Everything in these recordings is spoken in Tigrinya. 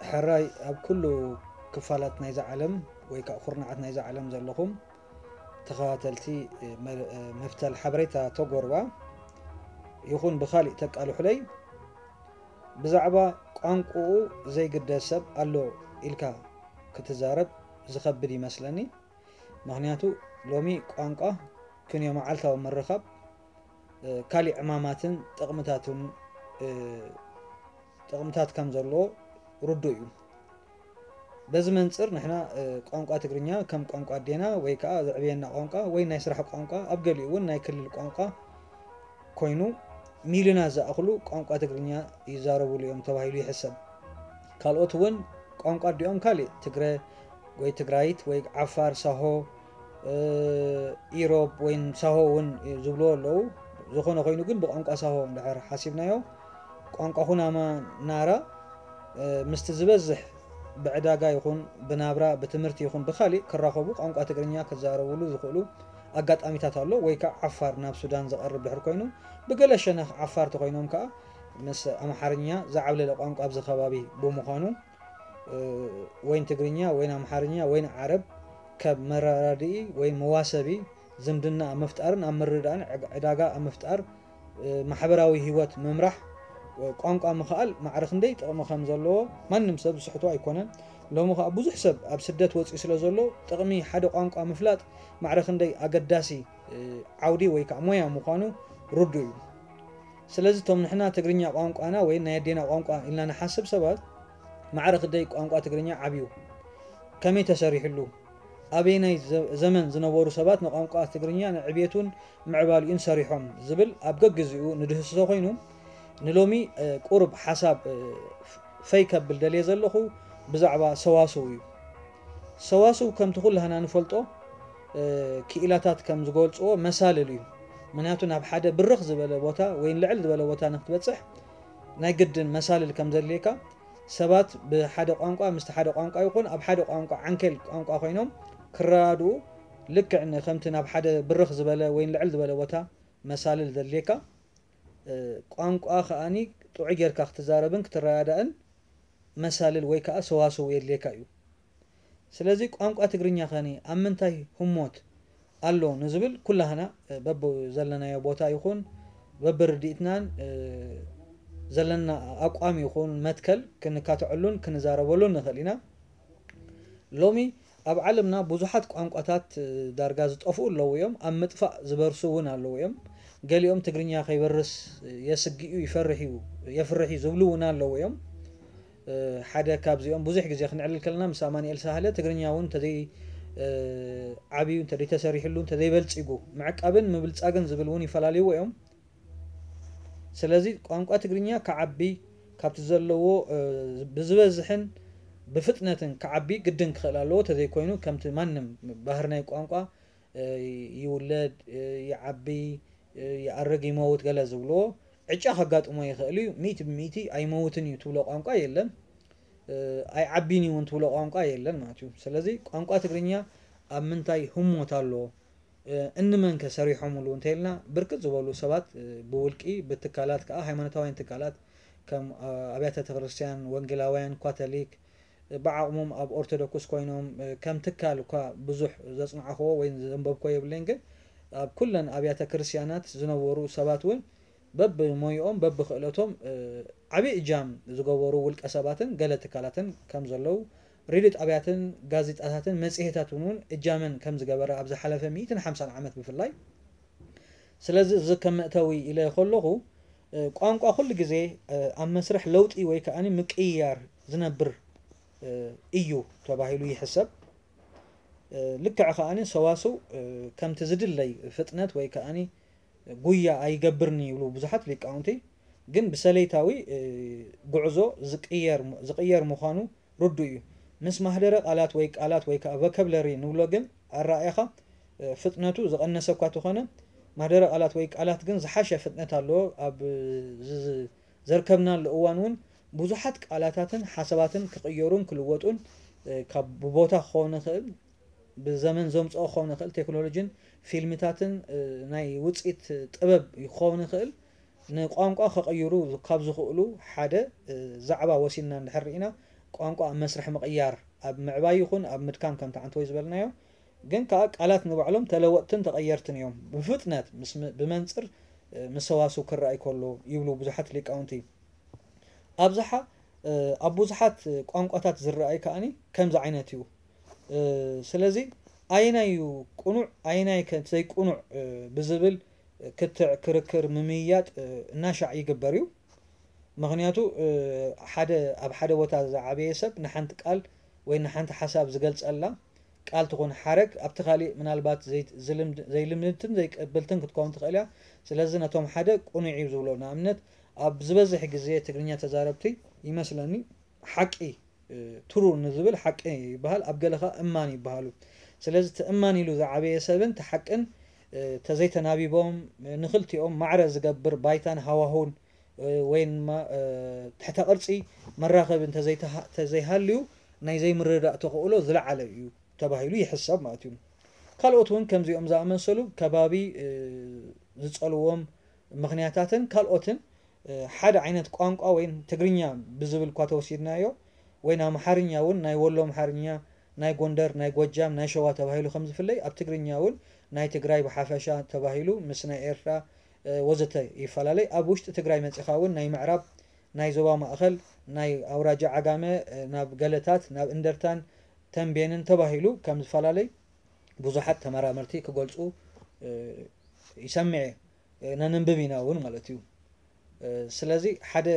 ሕራይ ኣብ ኩሉ ክፋላት ናይዛ ዓለም ወይ ከዓ ኩርናዓት ናይዛ ዓለም ዘለኹም ተኸታተልቲ፣ እ፣ መ-፣ እ፣ መፍተል ሓበሬታ ተጎርባ ይኹን ብኻሊእ ተቃልሑለይ፣ ብዛዕባ ቋንቋኡ ዘይግደስ ሰብ ኣሎ ኢልካ ክትዛረብ ዝኸብድ ይመስለኒ። ምኽንያቱ ሎሚ ቋንቋ ክንዮ መዓልታዊ ምርኻብ፣ እ፣ ካሊእ ዕማማትን ጥቕምታትን፣ እ፣ ጥቕምታት ከም ዘለዎ ርዱእ እዩ። በዚ መንጽር ንሕና፣ እ፣ ቋንቋ ትግርኛ ከም ቋንቋ ኣዴና ወይ ከዓ ዘዕብየና ቋንቋ ወይ ናይ ስራሕ ቋንቋ፣ ኣብ ገሊኡ እውን ናይ ክልል ቋንቋ ኮይኑ፣ ሚልዮናት ዝኣኽሉ ቋንቋ ትግርኛ ይዛረብሉ እዮም ተባሂሉ ይሕሰብ። ካልኦት እውን ቋንቋ ኣዲኦም ካሊእ ትግረ ወይ ትግራይት ወይ ዓፋር፣ ሳሆ፣ እ፣ ኢሮብ ወይ ሳሆ እውን ዝብልዎ ኣለዉ። ዝኾነ ኮይኑ ግን ብቋንቋ ሳሆ እንድሕር ሓሲብናዮ፣ ቋንቋ ኩናማ ናራ፣ እ፣ ምስቲ ዝበዝሕ ብዕዳጋ ይኹን ብናብራ፣ ብትምህርቲ ይኹን ብኻሊእ ክራኸቡ ቋንቋ ትግርኛ ክዛረብሉ ዝኽእሉ ኣጋጣሚታት ኣሎ። ወይ ከዓ ዓፋር ናብ ሱዳን ዝቐርብ ድሕር ኮይኑ፣ ብገለ ሸነኽ ዓፋር ተኾይኖም ከዓ ምስ ኣምሓርኛ ዝዓብለለ ቋንቋ ኣብዚ ከባቢ ብምዃኑ፣ እ፣ ወይን ትግርኛ ወይን ኣምሓርኛ ወይን ዓረብ ካብ መረዳድኢ ወይ መዋሰቢ ዝምድና ኣብ ምፍጣርን ኣብ ምርድዳእን ዕግ-፣ ዕዳጋ ኣብ ምፍጣር፣ እ፣ ማሕበራዊ ህይወት ምምራሕ፣ እ፣ ቋንቋ ምኽኣል ማዕረ ክንደይ ጥቕሚ ከም ዘለዎ ማንም ሰብ ዝስሕቶ ኣይኮነን። ሎሚ ከኣ ብዙሕ ሰብ ኣብ ስደት ወጺኡ ስለ ዘሎ፣ ጥቕሚ ሓደ ቋንቋ ምፍላጥ ማዕረ ክንደይ ኣገዳሲ፣ እ፣ ዓውዲ ወይ ከኣ ሞያ ምዃኑ ርዱእ እዩ። ስለዚ እቶም ንሕና ትግርኛ ቋንቋና ወይ ናይ ኣዴና ቋንቋ ኢልና ንሓስብ ሰባት፣ ማዕረ ክንደይ ቋንቋ ትግርኛ ዓብዩ፣ ከመይ ተሰሪሕሉ፣ ኣበየናይ ዘ-፣ ዘመን ዝነበሩ ሰባት ንቋንቋ ትግርኛ ንዕብየቱን ምዕባሊኡን ሰሪሖም ዝብል ኣብ ገግዚኡ ንድህስሶ ኮይኑ፣ ንሎሚ፣ እ፣ ቁሩብ ሓሳብ፣ እ፣ ፈይ ከብል ደልየ ዘለኹ ብዛዕባ ሰዋስው እዩ። ሰዋስው ከምቲ ኩላህና ንፈልጦ፣ እ፣ ክኢላታት ከም ዝገልጽዎ መሳልል እዩ። ምክንያቱ ናብ ሓደ ብርኽ ዝበለ ቦታ ወይ ልዕል ዝበለ ቦታ ንክትበጽሕ ናይ ግድን መሳልል ከም ዘድልየካ፣ ሰባት ብሓደ ቋንቋ ምስቲ ሓደ ቋንቋ ይኹን ኣብ ሓደ ቋንቋ ዓንኬል ቋንቋ ኮይኖም ክረዳድኡ፣ ልክዕ ን-፣ ከምቲ ናብ ሓደ ብርኽ ዝበለ ወይ ልዕል ዝበለ ቦታ መሳልል ዘድልየካ፣ እ፣ ቋንቋ ከኣኒ ጥዑይ ጌርካ ክትዛረብን ክትረዳዳእን መሳልል ወይ ከኣ ሰዋስው የድልየካ እዩ። ስለዚ ቋንቋ ትግርኛ ኸኒ ኣብ ምንታይ ህሞት ኣሎ ንዝብል ኩላህና፣ እ፣ በብ ዘለናዮ ቦታ ይኹን በብርድኢትናን፣ እ፣ ዘለና ኣቋም ይኹን መትከል ክንካትዐሉን ክንዛረበሉን ንኽእል ኢና። ሎሚ ኣብ ዓለምና ብዙሓት ቋንቋታት፣ እ፣ ዳርጋ ዝጠፍኡ ኣለዉ እዮም። ኣብ ምጥፋእ ዝበርሱ እውን ኣለዉ እዮም። ገሊኦም ትግርኛ ከይበርስ የስግእ እዩ፣ ይፈርሕ እዩ፣ የፍርሕ እዩ ዝብሉ እውን ኣለዉ እዮም። እ፣ ሓደ ካብዚኦም ብዙሕ ግዜ ክንዕልል ከለና ምስ ኣማኑኤል ሳህለ ትግርኛ እውን እንተዘይ፣ እ፣ ዓብዩ፣ እንተዘይ ተሰሪሕሉ፣ እንተዘይ በልጺጉ፣ ምዕቃብን ምብልጻግን ዝብል እውን ይፈላልይዎ እዮም። ስለዚ ቋንቋ ትግርኛ ክዓቢ፣ ካብቲ ዘለዎ፣ እ፣ ብዝበዝሕን ብፍጥነትን ክዓቢ ግድን ክኽእል ኣለዎ። ተዘይኮይኑ ከምቲ ማንም ባህሪ ናይ ቋንቋ፣ እ፣ ይውለድ፣ እ፣ ይዓቢ፣ እ፣ ይኣርግ፣ ይመውት ገለ ዝብልዎ ዕጫ ከጋጥሞ ይኽእል እዩ። ሚእቲ ብሚእቲ ኣይመውትን እዩ ትብሎ ቋንቋ የለን። እ፣ ኣይዓቢን እዩ እውን ትብሎ ቋንቋ የለን ማለት እዩ። ስለዚ ቋንቋ ትግርኛ ኣብ ምንታይ ህሞት ኣሎ፣ እ፣ እንመንከ ሰሪሖምሉ እንተኢልና፣ ብርክት ዝበሉ ሰባት፣ እ፣ ብውልቂ፣ ብትካላት ከኣ ሃይማኖታውያን ትካላት ከም፣ እ፣ ኣብያተ ቤተክርስትያን፣ ወንጌላውያን፣ ካቶሊክ፣ እ፣ ብዓቕሞም ኣብ ኦርቶዶክስ ኮይኖም፣ እ፣ ከም ትካል እኳ ብዙሕ ዘጽናዕክዎ ወይ ዘንበብክዎ የብለይን፣ ግን ኣብ ኩለን ኣብያተ ክርስትያናት ዝነበሩ ሰባት እውን በብሞይኦም በብክእለቶም፣ እ፣ ዓብዪ እጃም ዝገበሩ ውልቀ ሰባትን ገለ ትካላትን ከም ዘለዉ፣ ሬድዮ ጣብያትን ጋዜጣታትን መጽሔታትን እውን እጃመን ከም ዝገበረ ኣብ ዝሓለፈ ሚእትን ሓምሳን ዓመት ብፍላይ። ስለዚ እዚ ከም መእተዊ ኢለ ከለኹ፣ እ፣ ቋንቋ ኩሉ ግዜ፣ እ፣ ኣብ መስርሕ ለውጢ ወይ ከኣ ምቅይያር ዝነብር፣ እ፣ እዩ ተባሂሉ ይሕሰብ። እ፣ ልክዕ ከኣ ሰዋስው፣ እ፣ ከምቲ ዝድለይ ፍጥነት ወይ ከኣ ጉያ ኣይገብርን ይብሉ ብዙሓት ሊቃውንቲ። ግን ብሰለይታዊ፣ እ፣ ጉዕዞ ዝቅየር፣ ዝቅየር ምዃኑ ርዱእ እዩ። ምስ ማህደረ ቃላት ወይ ቃላት ወይ ከኣ ቮካብለሪ ንብሎ ግን ኣረኣእያኻ፣ እ፣ ፍጥነቱ ዝቐነሰ እኳ ተኾነ፣ ማህደረ ቃላት ወይ ቃላት ግን ዝሓሸ ፍጥነት ኣለዎ። ኣብ ዝ-፣ ዝ-፣ ዘርከብናሉ እዋን እውን ብዙሓት ቃላታትን ሓሳባትን ክቕየሩን ክልወጡን፣ እ፣ ካብ ብቦታ ክኸውን ይኽእል፣ ብዘመን ዘምጽኦ ክኸውን ይኽእል፣ ቴክኖሎጂን ፊልምታትን፣ እ፣ ናይ ውጽኢት ጥበብ ክኸውን ይኽእል፣ ንቋንቋ ከቐይሩ ካብ ዝኽእሉ ሓደ፣ እ፣ ዛዕባ ወሲድና እንድሕር ርኢና፣ ቋንቋ ኣብ መስርሕ ምቕያር ኣብ ምዕባይ ይኹን ኣብ ምድካም ከምቲ ዓንተወይ ዝበልናዮ ግን ከዓ ቃላት ንባዕሎም ተለወጥትን ተቐየርትን እዮም። ብፍጥነት ምስ ም- ብመንፅር እ፣ ምስ ሰዋስው ክረኣይ ከሎ ይብሉ ብዙሓት ሊቃውንቲ። ኣብዝሓ እ፣ ኣብ ብዙሓት ቋንቋታት ዝረኣይ ከዓኒ ከምዚ ዓይነት እዩ። እ፣ ስለዚ ኣየናይ እዩ ቅኑዕ ኣየናይ ከ ዘይቅኑዕ እ፣ ብዝብል ክትዕ ክርክር ምምይያጥ እ፣ እናሻዕ ይግበር እዩ። ምክንያቱ ሓደ ኣብ ሓደ ቦታ ዝዓበየ ሰብ ንሓንቲ ቃል ወይ ንሓንቲ ሓሳብ ዝገልጸላ ቃል ትኹን ሓረግ ኣብቲ ካሊእ ምናልባት ዘይልምድትን ዘይቀብልትን ክትከውን ትኽእል እያ። ስለዚ ነቶም ሓደ ቅኑዕ እዩ ዝብሎ ንኣብነት ኣብ ዝበዝሕ ግዜ ትግርኛ ተዛረብቲ ይመስለኒ ሓቂ ትሩ ንዝብል ሓቂ ይበሃል ኣብ ገለኻ እማን ይበሃሉ። ስለዚ እቲ እማን ኢሉ ዝዓበየ ሰብን እቲ ሓቅን ተዘይተናቢቦም ንክልቲኦም ማዕረ ዝገብር ባይታን ሃዋሁን ወይ ድማ ትሕተ ቅርጺ መራኸቢ እንተዘይሃልዩ ናይ ዘይምርዳእ ተኽእሎ ዝለዓለ እዩ ተባሂሉ ይሕሰብ ማለት እዩ። ካልኦት እውን ከምዚኦም ዝኣመሰሉ ከባቢ ዝጸልዎም ምኽንያታትን ካልኦትን ሓደ ዓይነት ቋንቋ ወይ ትግርኛ ብዝብል እኳ ተወሲድናዮ ወይ ኣምሓርኛ እውን ናይ ወሎ ኣምሓርኛ ናይ ጎንደር ናይ ጎጃም ናይ ሸዋ ተባሂሉ ከም ዝፍለይ ኣብ ትግርኛ እውን ናይ ትግራይ ብሓፈሻ ተባሂሉ ምስ ናይ ኤርትራ ወዘተ ይፈላለይ። ኣብ ውሽጢ ትግራይ መፂኻ እውን ናይ ምዕራብ ናይ ዞባ ማእኸል ናይ ኣውራጃ ዓጋመ ናብ ገለታት ናብ እንደርታን ተንቤንን ተባሂሉ ከም ዝፈላለይ ብዙሓት ተመራመርቲ ክገልፁ ይሰምዕ ነንንብብ ኢና እውን ማለት እዩ። ስለዚ ሓደ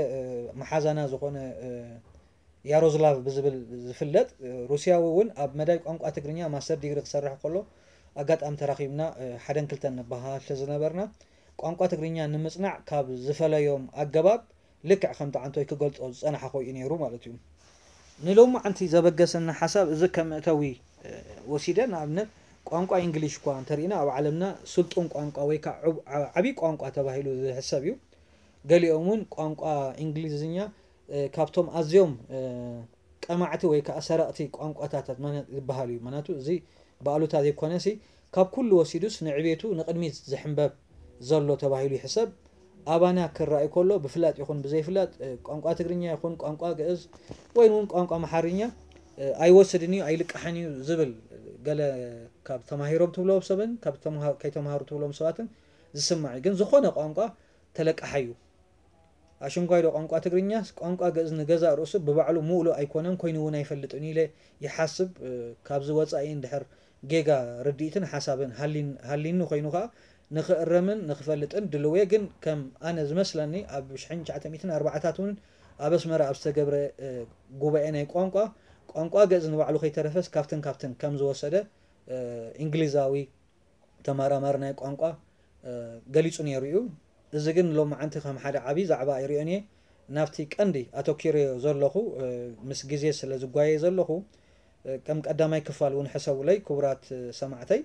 መሓዛና ዝኾነ ያሮዝላቭ ብዝብል ዝፍለጥ ሩስያዊ እውን ኣብ መዳይ ቋንቋ ትግርኛ ማስተር ዲግሪ ክሰርሕ ከሎ ኣጋጣሚ ተራኺብና ሓደን ክልተን ንበሃል ስለዝነበርና ቋንቋ ትግርኛ ንምፅናዕ ካብ ዝፈለዮም ኣገባብ ልክዕ ከምቲ ዓንቶይ ክገልፆ ዝፀናሓ ኮይኑ ነይሩ ማለት እዩ። ንሎሚ ዓንቲ ዘበገሰና ሓሳብ እዚ ከም መእተዊ ወሲደ ንኣብነት ቋንቋ እንግሊሽ እኳ እንተሪእና ኣብ ዓለምና ስልጡን ቋንቋ ወይ ከዓ ዓብዪ ቋንቋ ተባሂሉ ዝሕሰብ እዩ። ገሊኦም እውን ቋንቋ እንግሊዝኛ ካብቶም ኣዝዮም ቀማዕቲ ወይ ከዓ ሰረቕቲ ቋንቋታት ዝበሃል እዩ። ምክንያቱ እዚ ብኣሉታ ዘይኮነሲ ካብ ኩሉ ወሲዱስ ንዕቤቱ ንቕድሚት ዝሕንበብ ዘሎ ተባሂሉ ይሕሰብ። ኣባና ክረኣይ ከሎ ብፍላጥ ይኹን ብዘይፍላጥ ቋንቋ ትግርኛ ይኹን ቋንቋ ግእዝ ወይ እውን ቋንቋ ኣምሓርኛ ኣይወስድን እዩ ኣይልቃሕን እዩ ዝብል ገለ ካብ ተማሂሮም ትብሎም ሰብን ካብ ከይተምሃሩ ትብሎም ሰባትን ዝስማዕ እዩ። ግን ዝኾነ ቋንቋ ተለቃሓይ እዩ። ኣሽንኳይዶ ቋንቋ ትግርኛስ ቋንቋ ግእዝ ንገዛእ ርእሱ ብባዕሉ ምእሉእ ኣይኮነን ኮይኑ እውን ኣይፈልጥን ኢለ ይሓስብ። ካብዚ ወፃኢ እንድሕር ጌጋ ርድኢትን ሓሳብን ሃሊኒ ኮይኑ ከዓ ንኽእረምን ንኽፈልጥን ድልው እየ። ግን ከም ኣነ ዝመስለኒ ኣብ ሽሕን ትሽዓተ ሚእትን ኣርባዓታት እውን ኣብ ኣስመራ ኣብ ዝተገብረ ጉባኤ ናይ ቋንቋ ቋንቋ ግእዝ ንባዕሉ ከይተረፈስ ካብትን ካብትን ከም ዝወሰደ እንግሊዛዊ ተመራማሪ ናይ ቋንቋ ገሊጹ ነይሩ እዩ። እዚ ግን ሎማዓንቲ ከም ሓደ ዓብዪ ዛዕባ ኣይሪኦን እየ። ናብቲ ቀንዲ ኣተኪረዮ ዘለኹ ምስ ግዜ ስለ ዝጓየ ዘለኹ ከም ቀዳማይ ክፋል እውን ሕሰቡለይ ክቡራት ሰማዕተይ።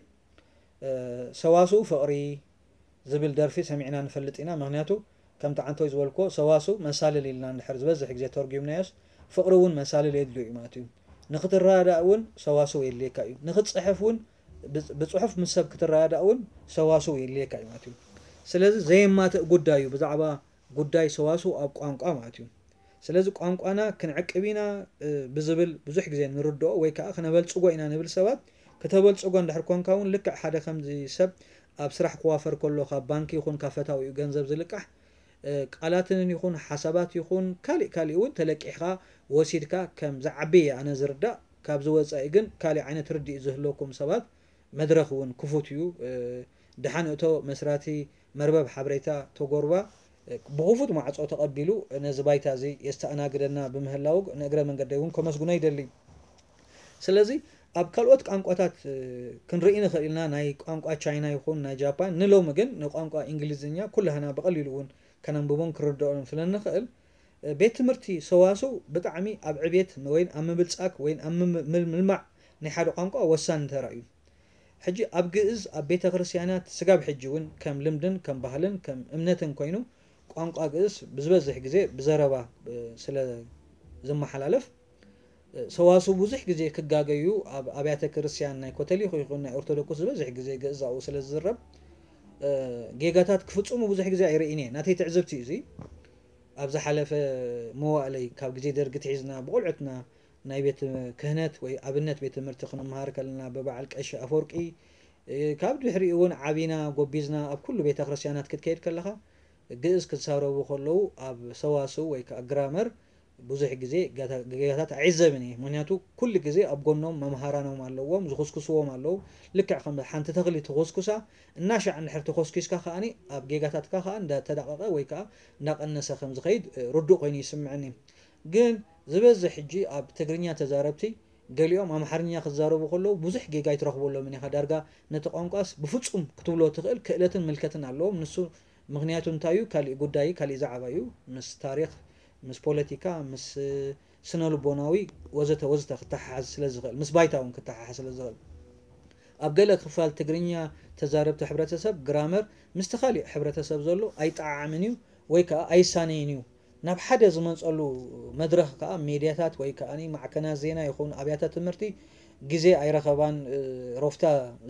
ሰዋስው ፍቕሪ ዝብል ደርፊ ሰሚዕና ንፈልጥ ኢና። ምኽንያቱ ከምቲ ዓንቶይ ዝበልክዎ ሰዋስው መሳልል ኢልና እንድሕር ዝበዝሕ ግዜ ተርጒምናዮስ ፍቕሪ እውን መሳልል የድልዮ እዩ ማለት እዩ። ንክትረዳዳእ እውን ሰዋስው የድልየካ እዩ። ንክትፅሕፍ እውን ብፅሑፍ ምስ ሰብ ክትረዳዳእ እውን ሰዋስው የድልየካ እዩ ማለት እዩ። ስለዚ ዘየማትእ ጉዳይ እዩ ብዛዕባ ጉዳይ ሰዋስው ኣብ ቋንቋ ማለት እዩ። ስለዚ ቋንቋና ክንዕቅብ ኢና ብዝብል ብዙሕ ግዜ ንርድኦ ወይ ከዓ ክነበልፅጎ ኢና ንብል ሰባት። ክተበልፅጎ እንድሕር ኮንካ እውን ልክዕ ሓደ ከምዚ ሰብ ኣብ ስራሕ ክዋፈር ከሎ ካብ ባንኪ ይኹን ካብ ፈታዊኡ ገንዘብ ዝልቃሕ ቃላትን ይኹን ሓሳባት ይኹን ካሊእ ካሊእ እውን ተለቂሕካ ወሲድካ ከም ዝዓቢ እየ ኣነ ዝርዳእ። ካብዚ ወፃኢ ግን ካሊእ ዓይነት ርድኢት ዝህለኩም ሰባት መድረኽ እውን ክፉት እዩ። ደሓን እቶ መስራቲ መርበብ ሓበሬታ ተጎርባ ብኽፉት ማዕፆ ተቐቢሉ ነዚ ባይታ እዚ የስተኣናግደና ብምህላው ንእግረ መንገደይ እውን ከመስግኖ ይደሊ። ስለዚ ኣብ ካልኦት ቋንቋታት ክንርኢ ንኽእል ኢና ናይ ቋንቋ ቻይና ይኹን ናይ ጃፓን ንሎሚ ግን ንቋንቋ እንግሊዝኛ ኩላህና ብቐሊሉ እውን ከነንብቦን ክርድኦን ስለ ንኽእል ቤት ትምህርቲ ሰዋስው ብጣዕሚ ኣብ ዕቤት ወይን ኣብ ምብልፃግ ወይን ኣብ ምልማዕ ናይ ሓደ ቋንቋ ወሳኒ ተራ እዩ። ሕጂ ኣብ ግእዝ ኣብ ቤተ ክርስቲያናት ስጋብ ሕጂ እውን ከም ልምድን ከም ባህልን ከም እምነትን ኮይኑ ቋንቋ ግእዝ ብዝበዝሕ ግዜ ብዘረባ ስለ ዝመሓላለፍ ሰዋስው ብዙሕ ግዜ ክጋገዩ ኣብ ኣብያተ ክርስቲያን ናይ ኮተሊክ ይኹን ናይ ኦርቶዶክስ ዝበዝሕ ግዜ ግእዝ ኣብኡ ስለ ዝዝረብ ጌጋታት ክፍፅሙ ብዙሕ ግዜ ኣይርእይን እየ። ናተይ ትዕዝብቲ እዩ እዚ። ኣብ ዝሓለፈ መዋእለይ ካብ ግዜ ደርጊ ትሒዝና ብቆልዑትና ናይ ቤት ክህነት ወይ ኣብነት ቤት ትምህርቲ ክንመሃር ከለና ብበዓል ቀሺ ኣፈወርቂ፣ እ፣ ካብ ድሕሪኡ እውን ዓቢና ጎቢዝና ኣብ ኩሉ ቤተ ክርስቲያናት ክትከይድ ከለኻ ግእዝ ክዛረቡ ከለዉ ኣብ ሰዋስው ወይ ከዓ ግራመር ብዙሕ ግዜ ጌጋ-፣ ጌጋታት ኣይዕዘብን እየ። ምክንያቱ ኩሉ ግዜ ኣብ ጎኖም መምሃራኖም ኣለዎም፣ ዝኹስኩስዎም ኣለዉ። ልክዕ ከም ሓንቲ ተኽሊ ትኹስኩሳ፣ እናሻዕ እንድሕር ተኾስኪስካ ከኣኒ ኣብ ጌጋታትካ ከኣ እንዳተዳቐቐ ወይ ከኣ እንዳቐነሰ ከም ዝኸይድ፣ እ፣ ርዱእ ኮይኑ ይስምዐኒ። ግን ዝበዝሕ ሕጂ ኣብ ትግርኛ ተዛረብቲ ገሊኦም ኣምሓርኛ ክዛረቡ ከለዉ ብዙሕ ጌጋ ኣይትረኽበሎምን ኢኻ። ዳርጋ ነቲ ቋንቋስ ብፍጹም ክትብሎ ትኽእል ክእለትን ምልከትን ኣለዎም። ንሱ ምኽንያቱ እንታይ እዩ? ካሊእ ጉዳይ፣ ካሊእ ዛዕባ እዩ። ምስ ታሪኽ፣ ምስ ፖለቲካ፣ ምስ ስነ ልቦናዊ ወዘተ ወዘተ ክተሓሓዝ ስለ ዝኽእል፣ ምስ ባይታ እውን ክተሓሓዝ ስለ ዝኽእል። ኣብ ገለ ክፋል ትግርኛ ተዛረብቲ ሕብረተሰብ ግራመር ምስቲ ካሊእ ሕብረተሰብ ዘሎ ኣይጠዓዓምን እዩ ወይ ከኣ ኣይሳነይን እዩ። ናብ ሓደ ዝመጸሉ መድረኽ ከኣ ሜድያታት ወይ ከኣ ማዕከናት ዜና ይኹን ኣብያተ ትምህርቲ ግዜ ኣይረኸባን። እ፣ ሮፍታ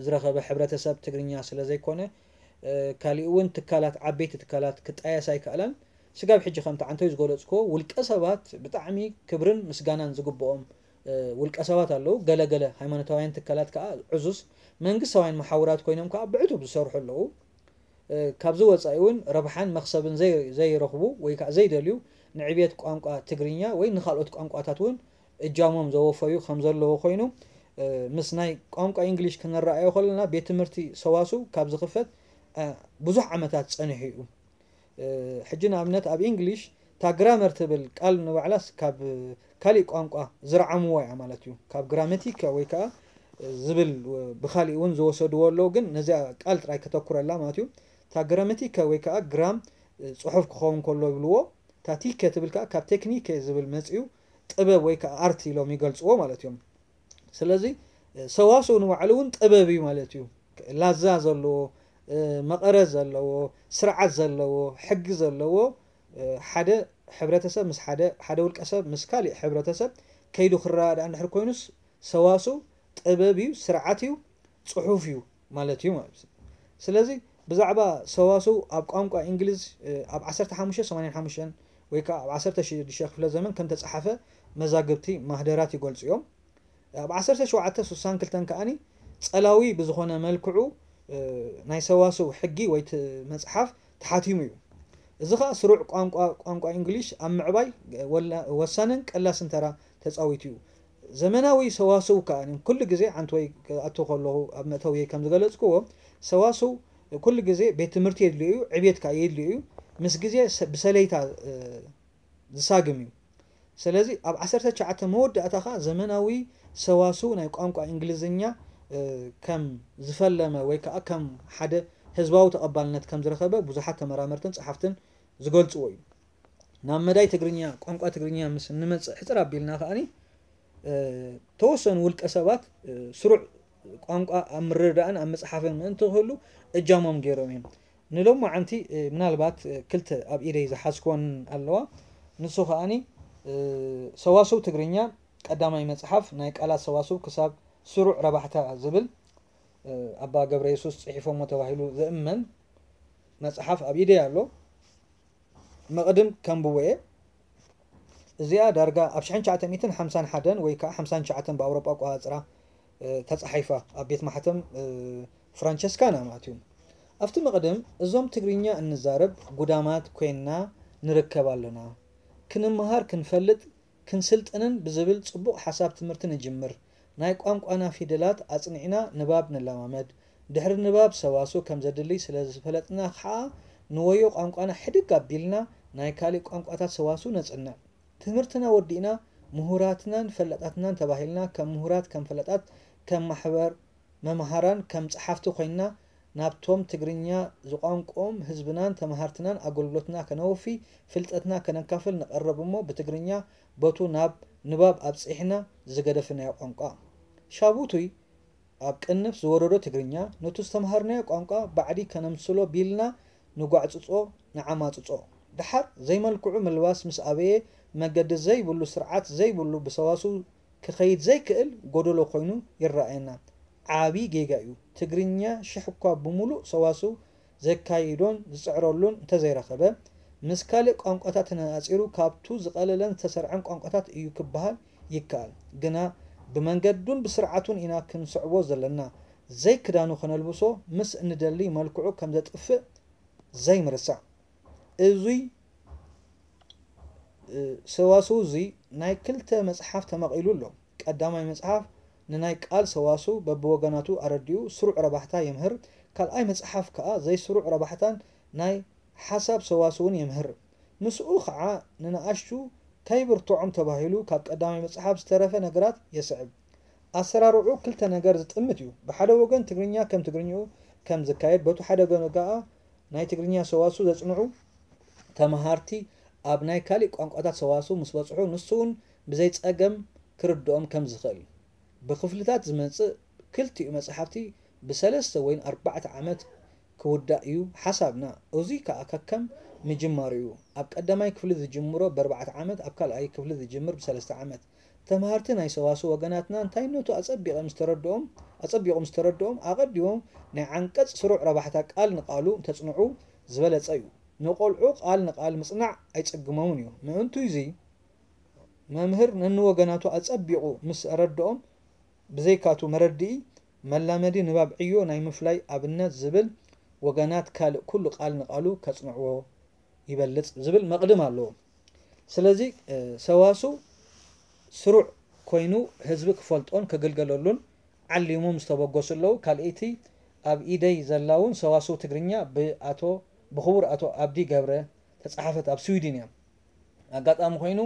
ዝረኸበ ሕብረተሰብ ትግርኛ ስለ ዘይኮነ፣ እ፣ ካሊእ እውን ትካላት፣ ዓበይቲ ትካላት ክጣየሳ ኣይከኣላን። ስጋብ ሕጂ ከምቲ ዓንቶይ ዝገለጽክዎ ውልቀ ሰባት ብጣዕሚ ክብርን ምስጋናን ዝግብኦም፣ እ፣ ውልቀ ሰባት ኣለዉ። ገለ ገለ ሃይማኖታውያን ትካላት ከኣ ዕዙዝ መንግስታውያን መሓውራት ኮይኖም ከኣ ብዕቱብ ዝሰርሑ ኣለዉ። እ፣ ካብዚ ወጻኢ እውን ረብሓን መኽሰብን ዘይ-፣ ዘይረኽቡ ወይ ከኣ ዘይደልዩ ንዕብየት ቋንቋ ትግርኛ ወይ ንኻልኦት ቋንቋታት እውን እጃሞም ዘወፈዩ ከም ዘለዉ ኮይኑ፣ እ፣ ምስ ናይ ቋንቋ እንግሊሽ ክንረኣዮ ከለና ቤት ትምህርቲ ሰዋስው ካብ ዝኽፈት፣ እ፣ ብዙሕ ዓመታት ጸኒሑ እዩ። እ፣ ሕጂ ንኣብነት ኣብ እንግሊሽ እታ ግራመር ትብል ቃል ንባዕላስ ካብ ካሊእ ቋንቋ ዝረዓምዋ እያ ማለት እዩ። ካብ ግራመቲካ ወይ ከኣ ዝብል ብኻሊእ እውን ዝወሰድዎ ኣለዉ፣ ግን ነዚኣ ቃል ጥራይ ከተኩረላ ማለት እዩ። እታ ግራመቲካ ወይ ከኣ ግራም፣ እ፣ ጽሑፍ ክኸውን ከሎ ይብልዎ፣ እታ ቲከ ትብል ከኣ ካብ ቴክኒከ ዝብል መጺኡ ጥበብ ወይ ከኣ ኣርት ኢሎም ይገልጽዎ ማለት እዮም። ስለዚ ሰዋስው ንባዕሉ እውን ጥበብ እዩ ማለት እዩ። ላዛ ዘለዎ፣ እ፣ መቐረት ዘለዎ፣ ስርዓት ዘለዎ፣ ሕጊ ዘለዎ፣ እ፣ ሓደ ሕብረተሰብ ምስ ሓደ፣ ሓደ ውልቀ ሰብ ምስ ካሊእ ሕብረተሰብ ከይዱ ክረዳዳእ እንድሕር ኮይኑስ ሰዋስው ጥበብ እዩ፣ ስርዓት እዩ፣ ጽሑፍ እዩ ማለት እዩ ማለት እዩ። ስለዚ ብዛዕባ ሰዋስው ኣብ ቋንቋ እንግሊዝ፣ እ፣ ኣብ ዓሰርተ ሓሙሽተ ሰማንያን ሓሙሽተን ወይ ከኣ ኣብ ዓሰርተ ሽዱሽተ ክፍለ ዘመን ከም ተጻሓፈ መዛግብቲ ማህደራት ይገልጹ እዮም። ኣብ ዓሰርተ ሸውዓተ ስሳን ክልተን ከኣኒ ጸላዊ ብዝኾነ መልክዑ፣ እ፣ ናይ ሰዋስው ሕጊ ወይ እቲ መጽሓፍ ተሓቲሙ እዩ። እዚ ኸኣ ስሩዕ ቋንቋ፣ ቋንቋ እንግሊሽ ኣብ ምዕባይ ወላ-፣ ወሳንን ቀላስን ተራ ተጻዊቱ እዩ። ዘመናዊ ሰዋስው ከኣ ኩሉ ግዜ ዓንቶይ ክኣቱ ከለኹ ኣብ መእተውየይ ከም ዝገለጽክዎ፣ ሰዋስው ኩሉ ግዜ ቤት ትምህርቲ የድልዮ እዩ፣ ዕብየት ከኣ የድልዮ እዩ። ምስ ግዜ ሰ-፣ ብሰለይታ፣ እ፣ ዝሳግም እዩ። ስለዚ ኣብ ዓሰርተ ትሽዓተ መወዳእታ ኸኣ ዘመናዊ ሰዋስው ናይ ቋንቋ እንግሊዝኛ፣ እ፣ ከም ዝፈለመ ወይ ከኣ ከም ሓደ ህዝባዊ ተቐባልነት ከም ዝረኸበ ብዙሓት ተመራመርትን ጸሓፍትን ዝገልጽዎ እዩ። ናብ መዳይ ትግርኛ፣ ቋንቋ ትግርኛ ምስ እንመጽእ ሕጽር ኣቢልና ከኣኒ፣ እ፣ ተወሰኑ ውልቀ ሰባት፣ እ፣ ስሩዕ ቋንቋ ኣብ ምርድዳእን ኣብ ምጽሓፍን ምእንቲ ክህሉ እጃሞም ገይሮም እዮም። ንሎማዓንቲ፣ እ፣ ምናልባት፣ እ፣ ክልተ ኣብ ኢደይ ዝሓዝክወን ኣለዋ። ንሱ ከኣኒ፣ እ፣ ሰዋስው ትግርኛ ቀዳማይ መጽሓፍ ናይ ቃላት ሰዋስው ክሳብ ስሩዕ ረባሕታ ዝብል፣ እ፣ ኣባ ገብረ የሱስ ጽሒፎሞ ተባሂሉ ዝእመን መጽሓፍ ኣብ ኢደይ ኣሎ። መቕድም ከንብቦ እየ። እዚኣ ዳርጋ ኣብ ሽሕን ትሽዓተ ሚእትን ሓምሳን ሓደን ወይ ከኣ ሓምሳን ትሽዓተን ብኣውሮጳ ኣቆጻጽራ፣ እ፣ ተጻሒፋ ኣብ ቤት ማሕተም፣ እ፣ ፍራንቸስካና ማለት እዩ። ኣብቲ መቕድም እዞም ትግርኛ እንዛረብ ጉዳማት ኮይንና ንርከብ ኣለና። ክንመሃር፣ ክንፈልጥ፣ ክንስልጥንን ብዝብል ጽቡቕ ሓሳብ ትምህርቲ ንጅምር። ናይ ቋንቋና ፊደላት ኣጽኒዕና ንባብ ንለማመድ። ድሕሪ ንባብ ሰዋስው ከም ዘድሊ ስለ ዝፈለጥና ኸኣ ንወዮ ቋንቋና ሕድግ ኣቢልና ናይ ካልእ ቋንቋታት ሰዋስው ነጽንዕ። ትምህርትና ወዲእና ምሁራትናን ፈላጣትናን ተባሂልና ከም ምሁራት፣ ከም ፈላጣት፣ ከም ማሕበር መምሃራን፣ ከም ጸሓፍቲ ኮይንና ናብቶም ትግርኛ ዝቋንቆኦም ህዝብናን ተመሃርትናን ኣገልግሎትና ከነወፊ፣ ፍልጠትና ከነካፍል ንቐርብ እሞ ብትግርኛ በቱ ናብ ንባብ ኣብጺሕና ዝገደፍናዮ ቋንቋ። ሻቡቱይ ኣብ ቅንፍ ዝወረዶ ትግርኛ ነቱ ዝተምሃርናዮ ቋንቋ ባዕዲ ከነምስሎ ቢልና ንጓዕጽጾ፣ ንዓማጽጾ። ደሓር ዘይመልክዑ ምልባስ ምስ ኣበየ መገዲ ዘይብሉ ስርዓት ዘይብሉ ብሰዋስው ክኸይድ ዘይክእል ጎደሎ ኮይኑ ይረኣየና። ዓቢ ጌጋ እዩ። ትግርኛ ሽሕ እኳ ብምሉእ ሰዋስው ዘካይዶን ዝጽዕረሉን እንተዘይረኸበ፣ ምስ ካልእ ቋንቋታት ተነጻጺሩ ካብቱ ዝቐለለን ዝተሰርዐን ቋንቋታት እዩ ክበሃል ይከኣል። ግና ብመንገዱን ብስርዓቱን ኢና ክንስዕቦ ዘለና። ዘይክዳኑ ከነልብሶ ምስ እንደሊ መልክዑ ከም ዘጥፍእ ዘይምርሳዕ። እዙይ ሰዋስው እዙይ ናይ ክልተ መጽሓፍ ተመቒሉ ኣሎ። ቀዳማይ መጽሓፍ ንናይ ቃል ሰዋስው በብወገናቱ ኣረዲኡ ስሩዕ ረባሕታ የምህር። ካልኣይ መጽሓፍ ከኣ ዘይስሩዕ ረባሕታን ናይ ሓሳብ ሰዋስውን የምህር። ምስኡ ኸዓ ንንኣሽቱ ከይብርትዖም ተባሂሉ ካብ ቀዳማይ መጽሓፍ ዝተረፈ ነገራት የስዕብ። ኣሰራርዑ ክልተ ነገር ዝጥምት እዩ። ብሓደ ወገን ትግርኛ ከም ትግርኛኡ ከም ዝካየድ፣ በቱ ሓደ ወገን ከኣ ናይ ትግርኛ ሰዋስው ዘጽንዑ ተመሃርቲ ኣብ ናይ ካሊእ ቋንቋታት ሰዋስው ምስ በጽሑ ንሱ እውን ብዘይ ጸገም ክርድኦም ከም ዝኽእል። ብክፍልታት ዝመጽእ ክልቲኡ መጽሓፍቲ ብሰለስተ ወይን ኣርባዕተ ዓመት ክውዳእ እዩ ሓሳብና። እዙይ ከኣ ከከም ምጅማሩ እዩ። ኣብ ቀዳማይ ክፍሊ ዝጅምሮ ብኣርባዕተ ዓመት፣ ኣብ ካልኣይ ክፍሊ ዝጅምር ብሰለስተ ዓመት። ተምሃርቲ ናይ ሰዋስው ወገናትና እንታይነቱ ኣጸቢቐ ምስ ተረድኦም ኣጸቢቑ ምስ ተረድኦም ኣቐዲሞም ናይ ዓንቀጽ ስሩዕ ረባሕታ ቃል ንቓሉ እንተጽንዑ ዝበለጸ እዩ። ንቖልዑ ቃል ንቓል ምጽናዕ ኣይጽግሞምን እዩ። ምእንቱ እዚ መምህር ነንወገናቱ ኣጸቢቑ ምስ ኣረድኦም ብዘይካቱ መረድኢ መላመዲ ንባብ ዕዮ ናይ ምፍላይ ኣብነት ዝብል ወገናት ካልእ ኩሉ ቃል ንቓሉ ከጽንዕዎ ይበልጽ ዝብል መቕድም ኣለዎ። ስለዚ ሰዋስው ስሩዕ ኮይኑ ህዝቢ ክፈልጦን ክግልገለሉን ዓሊሞም ዝተበገሱ ኣለዉ። ካልኣይቲ ኣብ ኢደይ ዘላ እውን ሰዋስው ትግርኛ ብኣቶ ብኽቡር ኣቶ ኣብዲ ገብረ ተጻሓፈት ኣብ ስዊድን እያ። ኣጋጣሚ ኮይኑ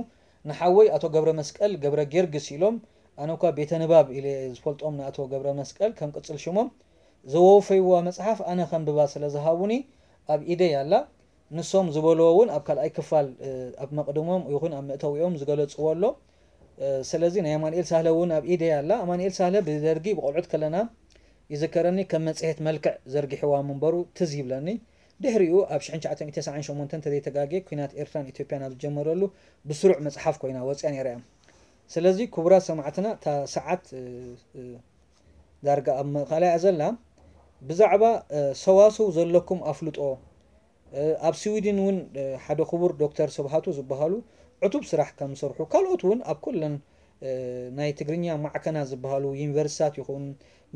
ንሓወይ ኣቶ ገብረ መስቀል ገብረ ጊዮርጊስ ኢሎም ኣነ እኳ ቤተ ንባብ ኢለ ዝፈልጦም ንኣቶ ገብረ መስቀል ከም ቅጽል ሽሞም ዘወፈይዋ መጽሓፍ ኣነ ከንብባ ስለ ዝሃቡኒ ኣብ ኢደይ ኣላ። ንሶም ዝበልዎ እውን ኣብ ካልኣይ ክፋል ኣብ መቕድሞም ይኹን ኣብ መእተዊኦም ዝገለጽዎ ኣሎ። ስለዚ ናይ ኣማንኤል ሳህለ እውን ኣብ ኢደይ ኣላ። ኣማንኤል ሳህለ ብደርጊ ብቆልዑት ከለና ይዝከረኒ ከም መጽሔት መልክዕ ዘርጊሕዋ ምንበሩ ትዝ ይብለኒ። ድሕሪኡ ኣብ ሽሕን ትሽዓተ ሚእትን ተስዓን ሸሞንተን እንተዘይተጋግየ ኲናት ኤርትራን ኢትዮጵያን ኣብ ዝጀመረሉ ብስሩዕ መጽሓፍ ኮይና ወጽያ ነይራ እያ። ስለዚ ክቡራት ሰማዕትና እታ ሰዓት ዳርጋ ኣብ ምእኻላ እያ ዘላ። ብዛዕባ ሰዋስው ዘለኩም ኣፍልጦ ኣብ ስዊድን እውን ሓደ ክቡር ዶክተር ስብሃቱ ዝበሃሉ ዕቱብ ስራሕ ከም ዝሰርሑ ካልኦት እውን ኣብ ኩለን ናይ ትግርኛ ማዕከናት ዝበሃሉ ዩኒቨርሲታት ይኹን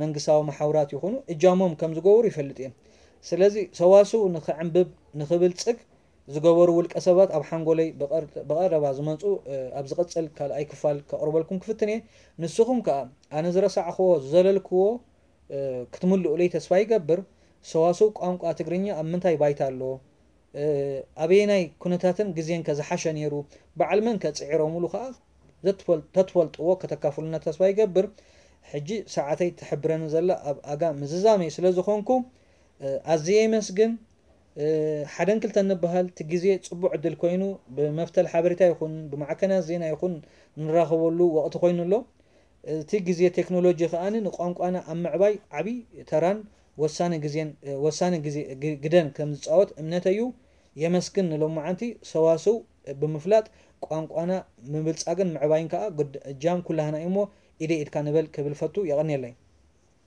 መንግስታዊ መሓውራት ይኹኑ እጃሞም ከም ዝገብሩ ይፈልጥ እየ። ስለዚ ሰዋስው ንኽዕንብብ ንኽብልጽግ ዝገበሩ ውልቀ ሰባት ኣብ ሓንጎለይ ብቐረባ ዝመፁ ኣብ ዝቕፅል ካልኣይ ክፋል ከቕርበልኩም ክፍትን እየ። ንስኹም ከኣ ኣነ ዝረሳዕኽዎ ዝዘለልክዎ ክትምልኡለይ ተስፋ ይገብር። ሰዋስው ቋንቋ ትግርኛ ኣብ ምንታይ ባይታ ኣሎ? ኣበየናይ ኩነታትን ግዜን ከ ዝሓሸ ነይሩ? በዓል መን ከ ፅዒሮምሉ ከኣ ተትፈልጥዎ ከተካፍሉና ተስፋ ይገብር። ሕጂ ሰዓተይ ትሕብረኒ ዘላ ኣብ ኣጋ ምዝዛመይ ስለ ዝኾንኩ ኣዝየ የመስግን። ሓደን ክልተን ንበሃል እቲ ግዜ ፅቡቕ ዕድል ኮይኑ ብመፍተል ሓበሬታ ይኹን ብማዕከናት ዜና ይኹን ንራኸበሉ ወቕቲ ኮይኑ ኣሎ። እቲ ግዜ ቴክኖሎጂ ከኣ ንቋንቋና ኣብ ምዕባይ ዓብዪ ተራን ወሳኒ ግዜን ወሳኒ ግዜ ግደን ከም ዝፃወት እምነተይ እዩ። የመስግን ንሎማዓንቲ ሰዋስው ብምፍላጥ ቋንቋና ምብልፃግን ምዕባይን ከኣ እጃም ኩላህና እዩ እሞ ኢደይ ኢድካ ንበል ክብል ፈቱ። የቐንየለይ።